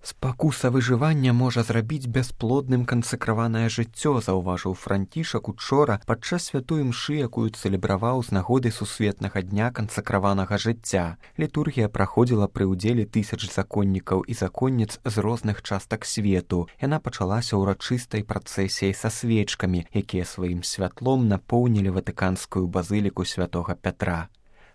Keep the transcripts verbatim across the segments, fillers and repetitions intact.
Спакуса выжывання можа зрабіць бясплодным кансакраванае жыццё, заўважыў Францішак учора падчас святой імшы, якую цэлебраваў з нагоды сусветнага дня кансакраванага жыцця. Літургія праходзіла пры ўдзеле тысяч законнікаў і законніц з розных частак свету. Яна пачалася ўрачыстай працэсіяй са свечкамі, якія сваім святлом напоўнілі ватыканскую базыліку святога Пятра.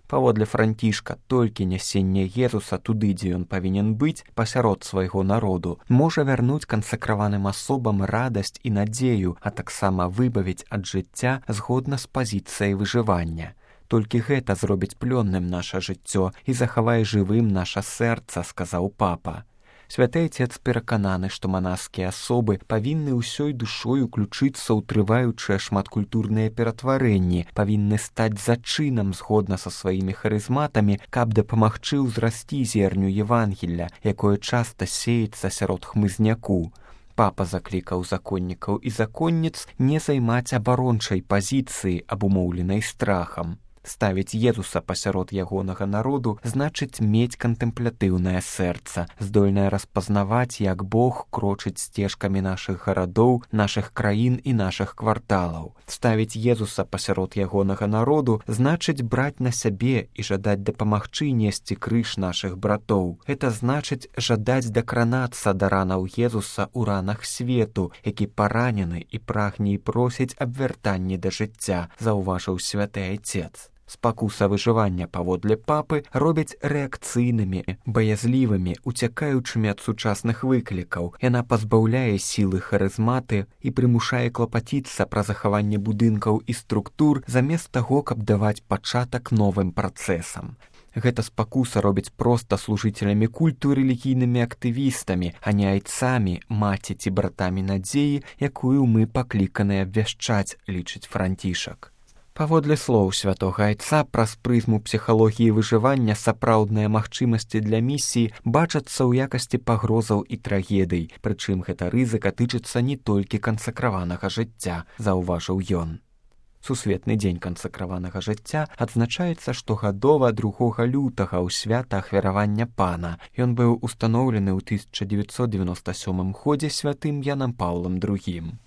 Паводле Францішка, толькі нясенне Езуса туды, дзе ён павінен быць, пасярод свайго народу, можа вярнуць кансакраваным асобам радасць і надзею, а таксама выбавіць ад жыцця згодна з пазіцыяй выжывання. Толькі гэта зробіць плённым наша жыццё і захавае жывым наша сэрца, сказаў папа. Святы Отец перакананы, што манаскія асобы павінны ўсёй душой уключыцца ў трываючыя шматкультурныя ператварэнні, павінны стаць зачынам згодна са сваімі харызматамі, каб дапамагчы ўзрасці зерню Евангелля, якое часта сеецца сярод хмызняку. Папа заклікаў законнікаў і законніц не займаць абарончай пазіцыі, абумоўленай страхам. Ставіць Езуса пасярод ягонага народу значыць мець кантэмплятыўнае сэрца, здольнае распазнаваць, як Бог крочыць сцежкамі нашых гарадоў, нашых краін і нашых кварталаў. Ставіць Езуса пасярод ягонага народу значыць браць на сябе і жадаць дапамагчы несці крыж нашых братоў. Гэта значыць жадаць дакранацца да ранаў Езуса ў ранах свету, які паранены і прагне і просіць аб вяртанні да жыцця, заўважыў святы Отец. Спакуса выжывання, паводле папы, робяць рэакцыйнымі, баязлівымі, уцякаючымі ад сучасных выклікаў. Яна пазбаўляе сілы харызматы і прымушае клапаціцца пра захаванне будынкаў і структур замест таго, каб даваць пачатак новым працэсам. Гэта спакуса робіць проста служыцелямі культу і рэлігійнымі актывістамі, а не айцамі, маці ці братамі надзеі, якую мы пакліканыя абвяшчаць, лічыць Францішак. Паводле слоў святога Айца, праз прызму псіхалогіі выжывання сапраўдныя магчымасці для місіі бачацца ў якасці пагрозаў і трагедый, прычым гэта рызыка тычыцца не толькі кансакраванага жыцця, заўважыў ён. Сусветны дзень кансакраванага жыцця адзначаецца штогадова другога лютага ў свята ахвяравання Пана. Ён быў устаноўлены ў тысяча дзевяцьсот дзевяноста сёмым годзе святым Янам Паўлам другім.